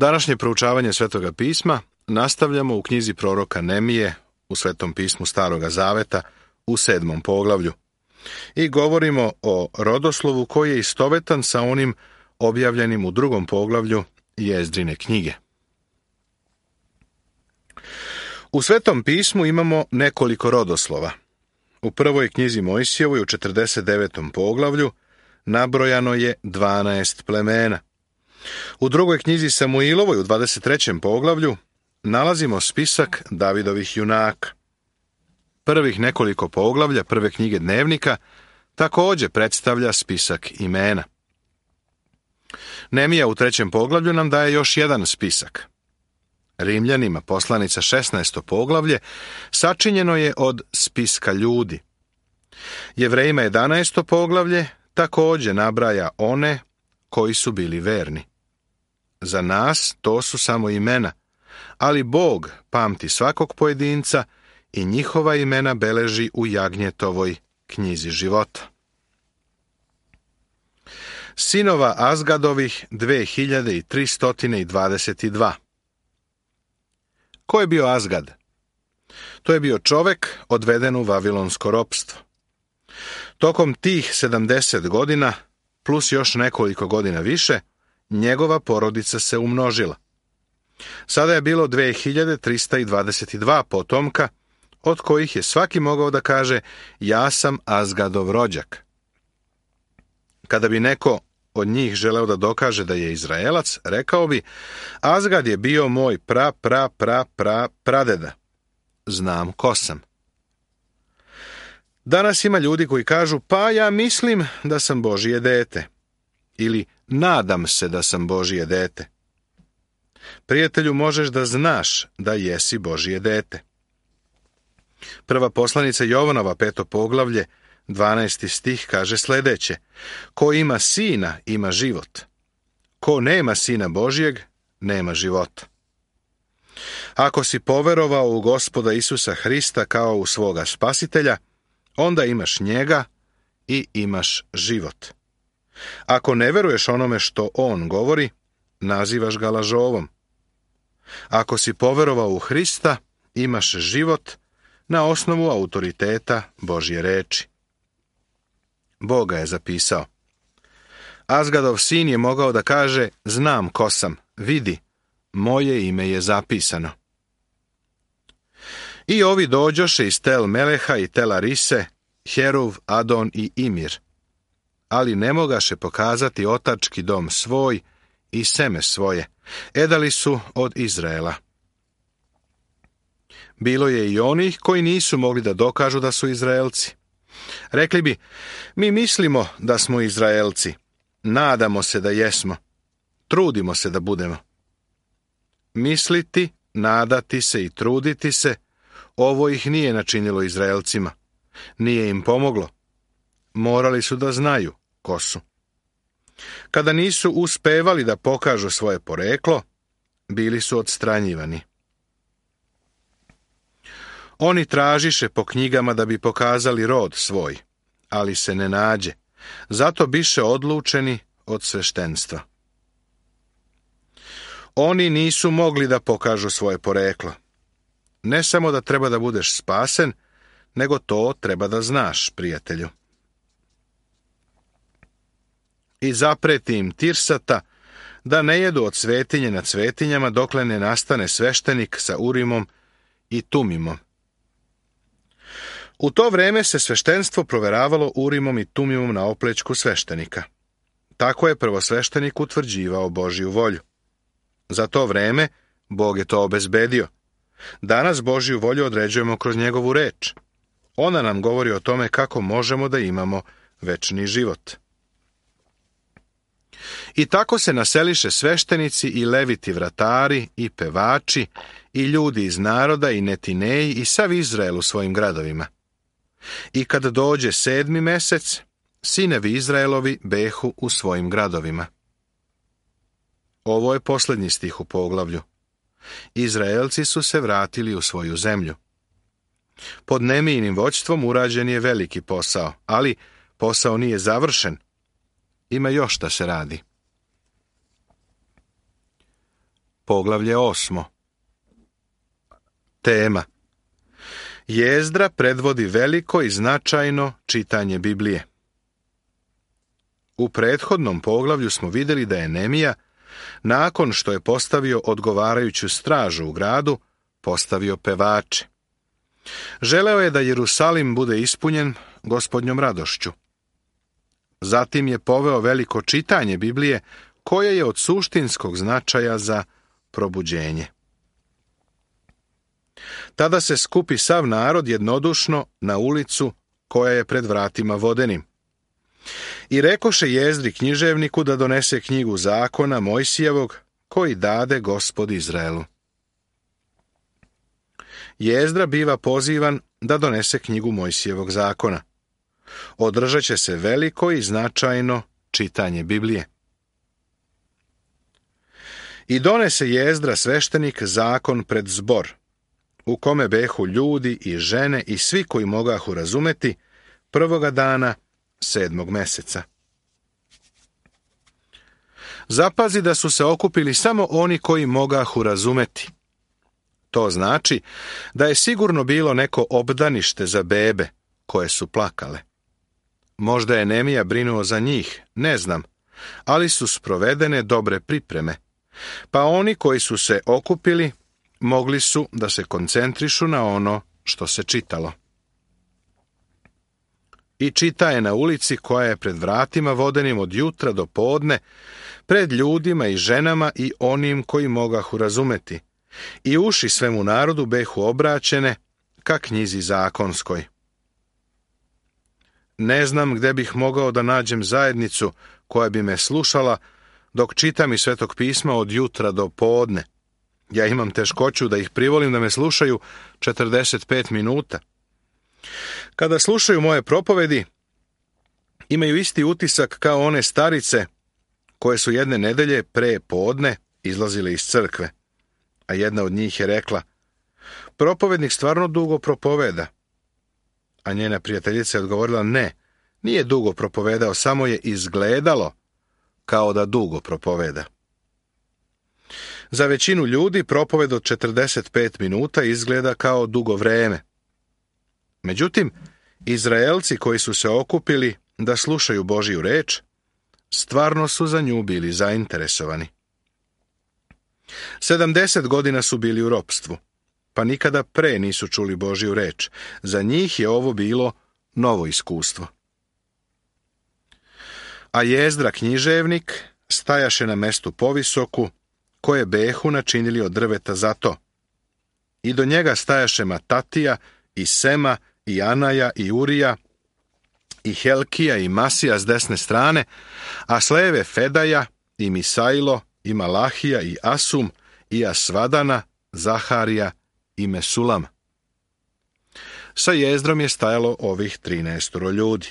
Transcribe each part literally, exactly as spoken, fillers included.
Današnje proučavanje Svetoga pisma nastavljamo u knjizi proroka Nemije u Svetom pismu Staroga Zaveta u sedmom poglavlju i govorimo o rodoslovu koji je istovetan sa onim objavljenim u drugom poglavlju Jezdrine knjige. U Svetom pismu imamo nekoliko rodoslova. U prvoj knjizi Mojsijevoj u četrdeset devetom poglavlju nabrojano je dvanaest plemena. U drugoj knjizi Samuilovoj u dvadeset trećem poglavlju nalazimo spisak Davidovih junaka. Prvih nekoliko poglavlja prve knjige Dnevnika također predstavlja spisak imena. Nemija u trećem poglavlju nam daje još jedan spisak. Rimljanima poslanica šesnaesto poglavlje sačinjeno je od spiska ljudi. Jevrejima jedanaesto poglavlje također nabraja one koji su bili verni. Za nas to su samo imena, ali Bog pamti svakog pojedinca i njihova imena beleži u Jagnjetovoj knjizi života. Sinova Azgadovih dve hiljade tristo dvadeset dva. Ko je bio Azgad? To je bio čovek odveden u vavilonsko ropstvo. Tokom tih sedamdeset godina, plus još nekoliko godina više, njegova porodica se umnožila. Sada je bilo dve hiljade tristo dvadeset dva potomka, od kojih je svaki mogao da kaže ja sam Azgadov rođak. Kada bi neko od njih želeo da dokaže da je Izraelac, rekao bi, Azgad je bio moj pra, pra, pra, pra, pradeda. Znam ko sam. Danas ima ljudi koji kažu, pa ja mislim da sam Božije dete. Ili nadam se da sam Božije dete. Prijatelju, možeš da znaš da jesi Božije dete. Prva poslanica Jovanova, peto poglavlje, dvanaesti stih kaže sljedeće: ko ima sina, ima život. Ko nema sina Božijeg, nema života. Ako si poverovao u Gospoda Isusa Hrista kao u svoga spasitelja, onda imaš njega i imaš život. Ako ne veruješ onome što on govori, nazivaš ga lažovom. Ako si poverovao u Hrista, imaš život na osnovu autoriteta Božje reči. Bog ga je zapisao. Azgadov sin je mogao da kaže, znam ko sam, vidi, moje ime je zapisano. I ovi dođoše iz Tel Meleha i Tela Rise, Heruv, Adon i Imir, ali ne mogaše pokazati otački dom svoj i seme svoje, edali su od Izraela. Bilo je i onih koji nisu mogli da dokažu da su Izraelci. Rekli bi, mi mislimo da smo Izraelci, nadamo se da jesmo, trudimo se da budemo. Misliti, nadati se i truditi se, ovo ih nije načinilo Izraelcima, nije im pomoglo. Morali su da znaju ko su. Kada nisu uspevali da pokažu svoje poreklo, bili su odstranjivani. Oni tražiše po knjigama da bi pokazali rod svoj, ali se ne nađe, zato biše odlučeni od sveštenstva. Oni nisu mogli da pokažu svoje poreklo. Ne samo da treba da budeš spasen, nego to treba da znaš, prijatelju. I zapreti im Tirsata da ne jedu od svetinje na svetinjama dokle ne nastane sveštenik sa Urimom i Tumimom. U to vreme se sveštenstvo proveravalo Urimom i Tumimom na oplećku sveštenika. Tako je prvosveštenik utvrđivao Božju volju. Za to vreme Bog je to obezbedio. Danas Božju volju određujemo kroz njegovu reč. Ona nam govori o tome kako možemo da imamo večni život. I tako se naseliše sveštenici i leviti vratari i pevači i ljudi iz naroda i netineji i sav Izrael u svojim gradovima. I kad dođe sedmi mesec, sinevi Izraelovi behu u svojim gradovima. Ovo je posljednji stih u poglavlju. Izraelci su se vratili u svoju zemlju. Pod Nemijinim vođstvom urađen je veliki posao, ali posao nije završen. Ima još šta se radi. poglavlje osmo. Tema: Jezdra predvodi veliko i značajno čitanje Biblije. U prethodnom poglavlju smo vidjeli da je Nemija, nakon što je postavio odgovarajuću stražu u gradu, postavio pevače. Želeo je da Jerusalim bude ispunjen Gospodnjom radošću. Zatim je poveo veliko čitanje Biblije, koje je od suštinskog značaja za probuđenje. Tada se skupi sav narod jednodušno na ulicu koja je pred vratima vodenim. I rekoše Jezdri književniku da donese knjigu zakona Mojsijevog, koji dade Gospod Izraelu. Jezdra biva pozivan da donese knjigu Mojsijevog zakona. Održat će se veliko i značajno čitanje Biblije. I donese Jezdra sveštenik zakon pred zbor, u kome behu ljudi i žene i svi koji mogahu razumeti, prvoga dana sedmog meseca. Zapazi da su se okupili samo oni koji mogahu razumeti. To znači da je sigurno bilo neko obdanište za bebe koje su plakale. Možda je Nemija brinuo za njih, ne znam, ali su sprovedene dobre pripreme, pa oni koji su se okupili mogli su da se koncentrišu na ono što se čitalo. I čita je na ulici koja je pred vratima vodenim od jutra do podne, pred ljudima i ženama i onim koji mogahu razumeti, i uši svemu narodu behu obraćene ka knjizi zakonskoj. Ne znam gde bih mogao da nađem zajednicu koja bi me slušala dok čitam iz Svetog pisma od jutra do podne. Ja imam teškoću da ih privolim da me slušaju četrdeset pet minuta. Kada slušaju moje propovedi, imaju isti utisak kao one starice koje su jedne nedelje pre podne izlazile iz crkve, a jedna od njih je rekla: "Propovednik stvarno dugo propoveda." A njena prijateljica je odgovorila: "Ne, nije dugo propovedao, samo je izgledalo kao da dugo propoveda." Za većinu ljudi propoved od četrdeset pet minuta izgleda kao dugo vreme. Međutim, Izraelci koji su se okupili da slušaju Božju reč, stvarno su za nju bili zainteresovani. Sedamdeset godina su bili u ropstvu, pa nikada pre nisu čuli Božju reč. Za njih je ovo bilo novo iskustvo. A Jezdra književnik stajaše na mestu povisoku, koje behu načinili od drveta za to. I do njega stajaše Matatija, i Sema, i Anaja, i Urija, i Helkija, i Masija s desne strane, a s leve Fedaja, i Misailo, i Malahija, i Asum, i Asvadana, Zaharija i Mesulam. Sa Jezdrom je stajalo ovih trinaestoro ljudi.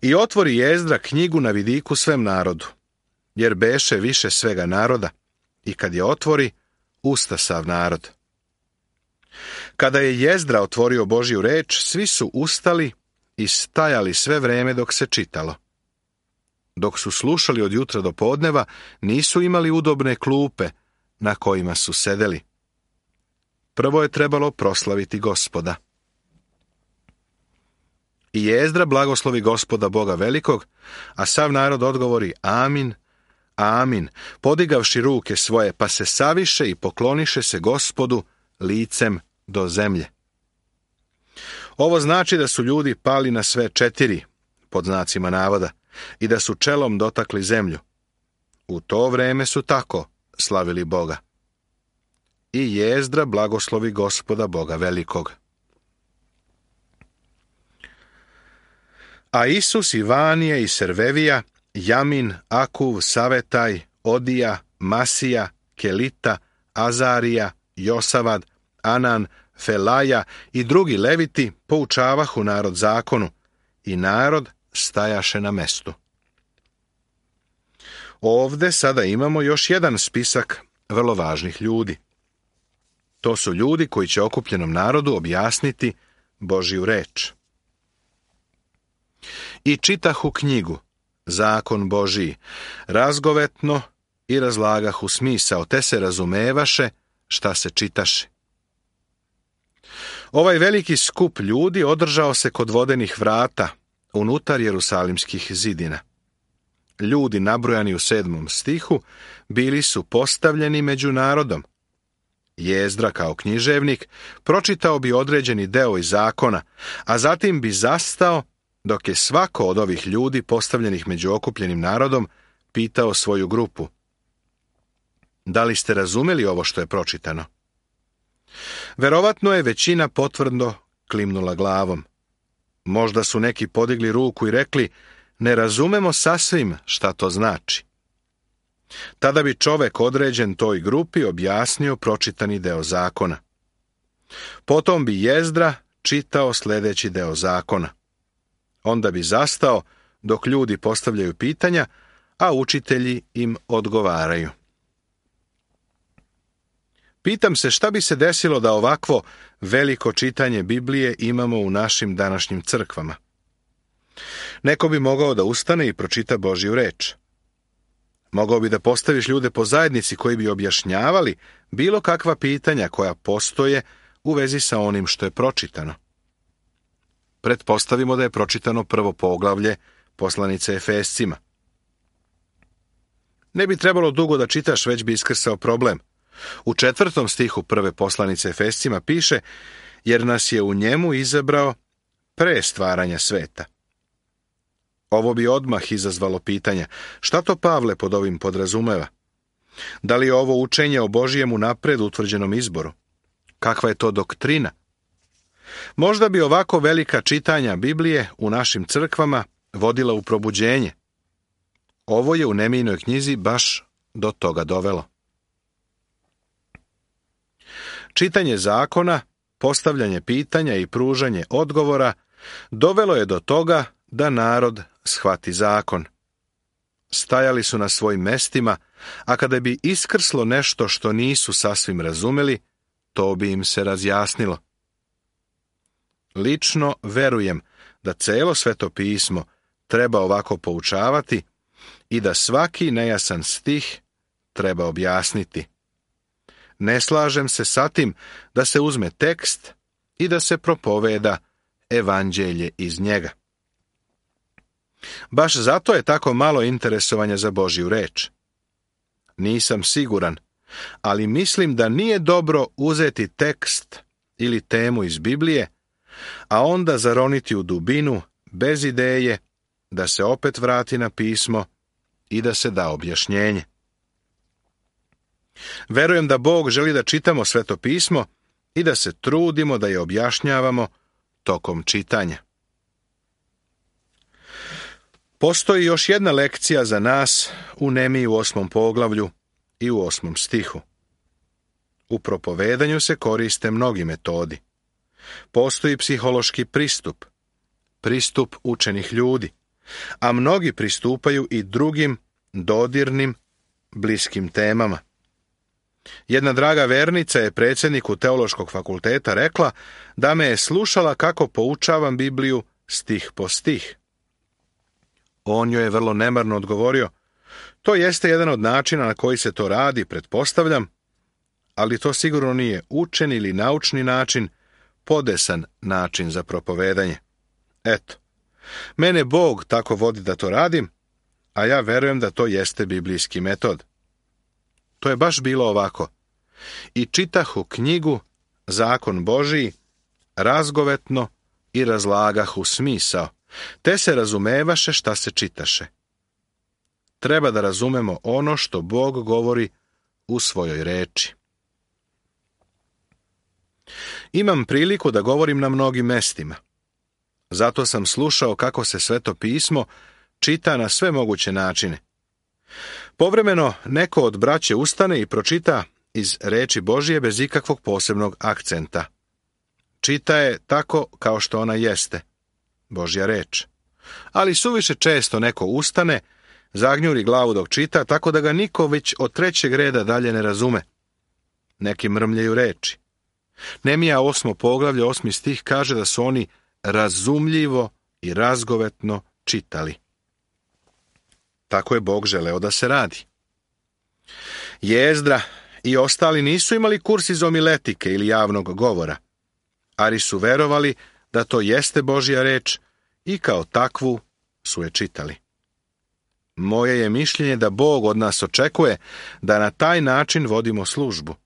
I otvori Jezdra knjigu na vidiku svem narodu, jer beše više svega naroda, i kad je otvori, usta sav narod. Kada je Jezdra otvorio Božju reč, svi su ustali i stajali sve vreme dok se čitalo. Dok su slušali od jutra do podneva, nisu imali udobne klupe na kojima su sedeli. Prvo je trebalo proslaviti Gospoda. I Jezdra blagoslovi Gospoda Boga velikog, a sav narod odgovori: Amin, amin, podigavši ruke svoje, pa se saviše i pokloniše se Gospodu licem do zemlje. Ovo znači da su ljudi pali na sve četiri, pod znacima navoda, i da su čelom dotakli zemlju. U to vreme su tako slavili Boga. I Jezdra blagoslovi Gospoda Boga velikog. A Isus i Vanije i Servevija, Jamin, Akuv, Savetaj, Odija, Masija, Kelita, Azarija, Josavad, Anan, Felaja i drugi leviti poučavahu narod zakonu, i narod stajaše na mestu. Ovde sada imamo još jedan spisak vrlo važnih ljudi. To su ljudi koji će okupljenom narodu objasniti Božju reč. I čitahu knjigu, zakon Božiji, razgovetno i razlagahu smisao, te se razumevaše šta se čitaše. Ovaj veliki skup ljudi održao se kod vodenih vrata, unutar jerusalimskih zidina. Ljudi nabrojani u sedmom stihu bili su postavljeni među narodom. Jezdra kao književnik pročitao bi određeni deo iz zakona, a zatim bi zastao dok je svako od ovih ljudi postavljenih među okupljenim narodom pitao svoju grupu: da li ste razumeli ovo što je pročitano? Verovatno je većina potvrdno klimnula glavom. Možda su neki podigli ruku i rekli: ne razumemo sasvim šta to znači. Tada bi čovek određen toj grupi objasnio pročitani deo zakona. Potom bi Jezdra čitao sljedeći deo zakona. Onda bi zastao dok ljudi postavljaju pitanja, a učitelji im odgovaraju. Pitam se šta bi se desilo da ovakvo veliko čitanje Biblije imamo u našim današnjim crkvama. Neko bi mogao da ustane i pročita Božju reč. Mogao bi da postaviš ljude po zajednici koji bi objašnjavali bilo kakva pitanja koja postoje u vezi sa onim što je pročitano. Pretpostavimo da je pročitano prvo poglavlje poslanice Efescima. Ne bi trebalo dugo da čitaš, već bi iskrsao problem. U četvrtom stihu prve poslanice Efescima piše: jer nas je u njemu izabrao pre stvaranja sveta. Ovo bi odmah izazvalo pitanja: šta to Pavle pod ovim podrazumeva? Da li je ovo učenje o Božijem unapred utvrđenom izboru? Kakva je to doktrina? Možda bi ovako velika čitanja Biblije u našim crkvama vodila u probuđenje. Ovo je u Nemijinoj knjizi baš do toga dovelo. Čitanje zakona, postavljanje pitanja i pružanje odgovora dovelo je do toga da narod shvati zakon. Stajali su na svojim mestima, a kada bi iskrslo nešto što nisu sasvim razumeli, to bi im se razjasnilo. Lično verujem da celo Sveto pismo treba ovako poučavati i da svaki nejasan stih treba objasniti. Ne slažem se sa tim da se uzme tekst i da se propoveda evanđelje iz njega. Baš zato je tako malo interesovanja za Božju reč. Nisam siguran, ali mislim da nije dobro uzeti tekst ili temu iz Biblije, a onda zaroniti u dubinu bez ideje da se opet vrati na pismo i da se da objašnjenje. Verujem da Bog želi da čitamo Sveto pismo i da se trudimo da je objašnjavamo tokom čitanja. Postoji još jedna lekcija za nas u Nemiji u osmom poglavlju i u osmom stihu. U propovedanju se koriste mnogi metodi. Postoji psihološki pristup, pristup učenih ljudi, a mnogi pristupaju i drugim dodirnim, bliskim temama. Jedna draga vernica je predsjedniku Teološkog fakulteta rekla da me je slušala kako poučavam Bibliju stih po stih. On joj je vrlo nemarno odgovorio: to jeste jedan od načina na koji se to radi, pretpostavljam, ali to sigurno nije učen ili naučni način, podesan način za propovedanje. Eto, mene Bog tako vodi da to radim, a ja verujem da to jeste biblijski metod. To je baš bilo ovako. I čitahu knjigu, zakon Božiji, razgovetno i razlagahu smisao, te se razumevaše šta se čitaše. Treba da razumemo ono što Bog govori u svojoj reči. Imam priliku da govorim na mnogim mestima. Zato sam slušao kako se Sveto pismo čita na sve moguće načine. Povremeno neko od braće ustane i pročita iz reči Božije bez ikakvog posebnog akcenta. Čita je tako kao što ona jeste, Božja reč. Ali suviše često neko ustane, zagnjuri glavu dok čita, tako da ga niko već od trećeg reda dalje ne razume. Neki mrmljaju reči. Nemija osmo poglavlje, osmi stih kaže da su oni razumljivo i razgovetno čitali. Tako je Bog želeo da se radi. Jezdra i ostali nisu imali kurs iz homiletike ili javnog govora, ali su verovali da to jeste Božja reč i kao takvu su je čitali. Moje je mišljenje da Bog od nas očekuje da na taj način vodimo službu.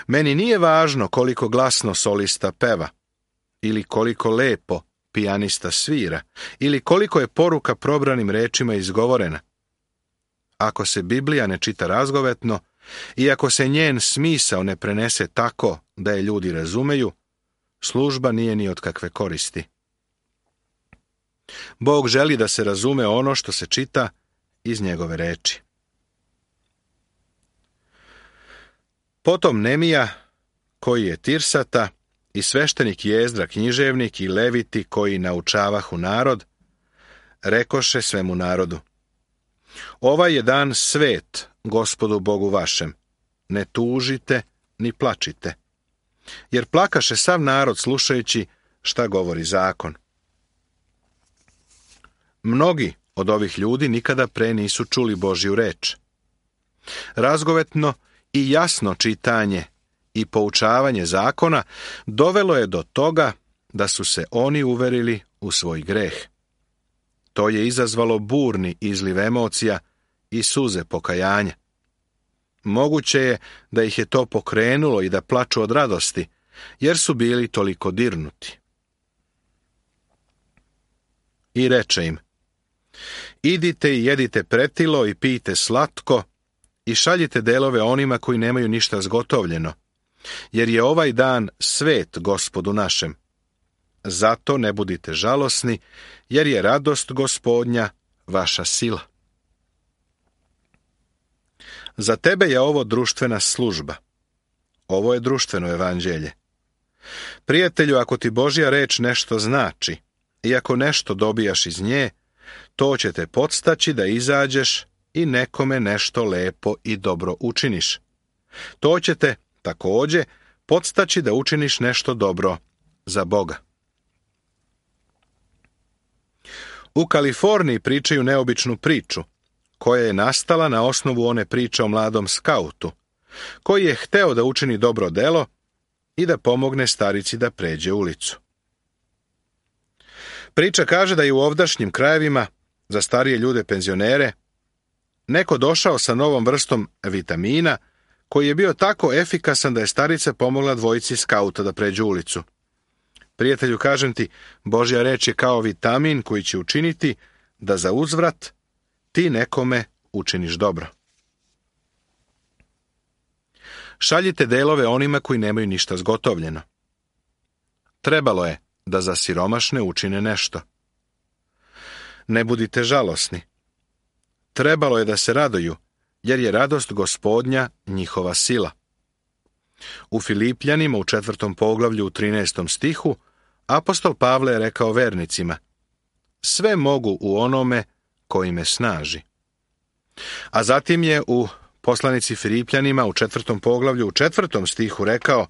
Meni nije važno koliko glasno solista peva, ili koliko lepo pijanista svira, ili koliko je poruka probranim rečima izgovorena. Ako se Biblija ne čita razgovetno i ako se njen smisao ne prenese tako da je ljudi razumeju, služba nije ni od kakve koristi. Bog želi da se razume ono što se čita iz njegove reči. Potom Nemija, koji je Tirsata, i sveštenik Jezdra književnik i leviti koji naučavahu narod, rekoše svemu narodu: ovaj je dan svet Gospodu Bogu vašem, ne tužite ni plačite. Jer plakaše sav narod slušajući šta govori zakon. Mnogi od ovih ljudi nikada pre nisu čuli Božju reč. Razgovetno i jasno čitanje i poučavanje zakona dovelo je do toga da su se oni uverili u svoj greh. To je izazvalo burni izliv emocija i suze pokajanja. Moguće je da ih je to pokrenulo i da plaču od radosti, jer su bili toliko dirnuti. I reče im: idite i jedite pretilo i pijte slatko i šaljite delove onima koji nemaju ništa zgotovljeno, jer je ovaj dan svet Gospodu našem. Zato ne budite žalosni, jer je radost Gospodnja vaša sila. Za tebe je ovo društvena služba. Ovo je društveno evanđelje. Prijatelju, ako ti Božja reč nešto znači, i ako nešto dobijaš iz nje, to će te podstaći da izađeš i nekome nešto lepo i dobro učiniš. To će te, također, podstaći da učiniš nešto dobro za Boga. U Kaliforniji pričaju neobičnu priču, koja je nastala na osnovu one priče o mladom skautu, koji je hteo da učini dobro delo i da pomogne starici da pređe ulicu. Priča kaže da je u ovdašnjim krajevima, za starije ljude penzionere, neko došao sa novom vrstom vitamina, koji je bio tako efikasan da je starica pomogla dvojici skauta da pređu ulicu. Prijatelju, kažem ti, Božja reč je kao vitamin koji će učiniti da za uzvrat ti nekome učiniš dobro. Šaljite delove onima koji nemaju ništa zgotovljeno. Trebalo je da za siromašne učine nešto. Ne budite žalosni. Trebalo je da se raduju, jer je radost Gospodnja njihova sila. U Filipljanima u četvrtom poglavlju u trinaestom stihu apostol Pavle je rekao vernicima: sve mogu u onome koji me snaži. A zatim je u poslanici Filipljanima u četvrtom poglavlju u četvrtom stihu rekao: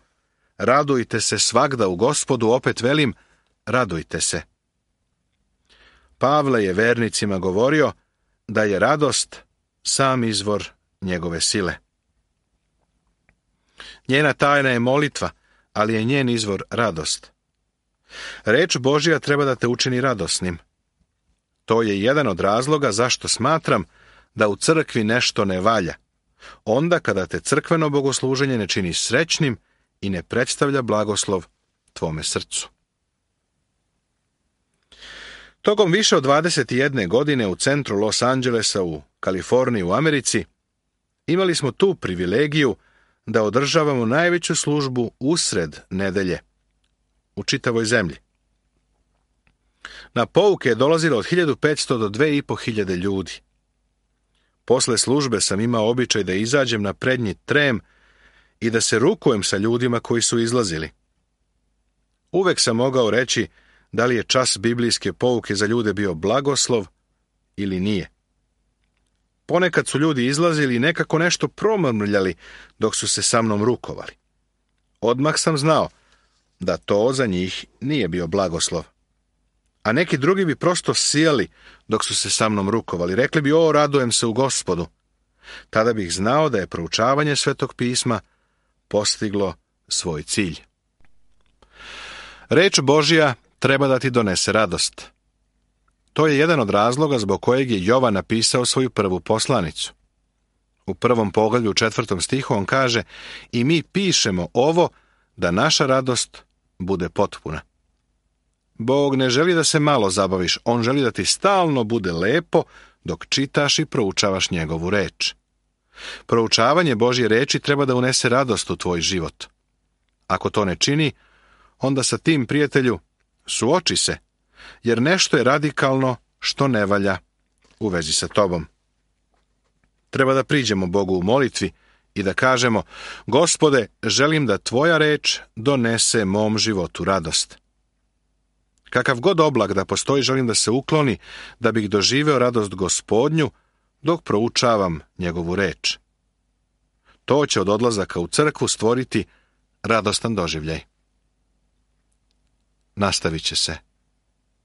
radujte se svagda u Gospodu, opet velim, radujte se. Pavle je vernicima govorio da je radost sam izvor njegove sile. Njena tajna je molitva, ali je njen izvor radost. Reč Božja treba da te učini radosnim. To je jedan od razloga zašto smatram da u crkvi nešto ne valja, onda kada te crkveno bogosluženje ne čini srećnim i ne predstavlja blagoslov tvome srcu. Tokom više od dvadeset jedne godine u centru Los Angelesa u Kaliforniji u Americi imali smo tu privilegiju da održavamo najveću službu usred nedelje u čitavoj zemlji. Na pouke je dolazilo od hiljadu petsto do dve i po hiljade ljudi. Posle službe sam imao običaj da izađem na prednji trem i da se rukujem sa ljudima koji su izlazili. Uvek sam mogao reći da li je čas biblijske pouke za ljude bio blagoslov ili nije. Ponekad su ljudi izlazili i nekako nešto promrmljali dok su se sa mnom rukovali. Odmah sam znao da to za njih nije bio blagoslov. A neki drugi bi prosto sijali dok su se sa mnom rukovali. Rekli bi: o, radujem se u Gospodu. Tada bih znao da je proučavanje Svetog pisma postiglo svoj cilj. Reč Božja treba da ti donese radost. To je jedan od razloga zbog kojeg je Jovan napisao svoju prvu poslanicu. U prvom poglavlju u četvrtom stihu on kaže: i mi pišemo ovo da naša radost bude potpuna. Bog ne želi da se malo zabaviš, on želi da ti stalno bude lepo dok čitaš i proučavaš njegovu reč. Proučavanje Božje reči treba da unese radost u tvoj život. Ako to ne čini, onda sa tim, prijatelju, suoči se, jer nešto je radikalno što ne valja u vezi sa tobom. Treba da priđemo Bogu u molitvi i da kažemo: Gospode, želim da tvoja reč donese mom životu radost. Kakav god oblak da postoji, želim da se ukloni, da bih doživeo radost Gospodnju dok proučavam njegovu reč. To će od odlazaka u crkvu stvoriti radostan doživljaj. Nastavit će se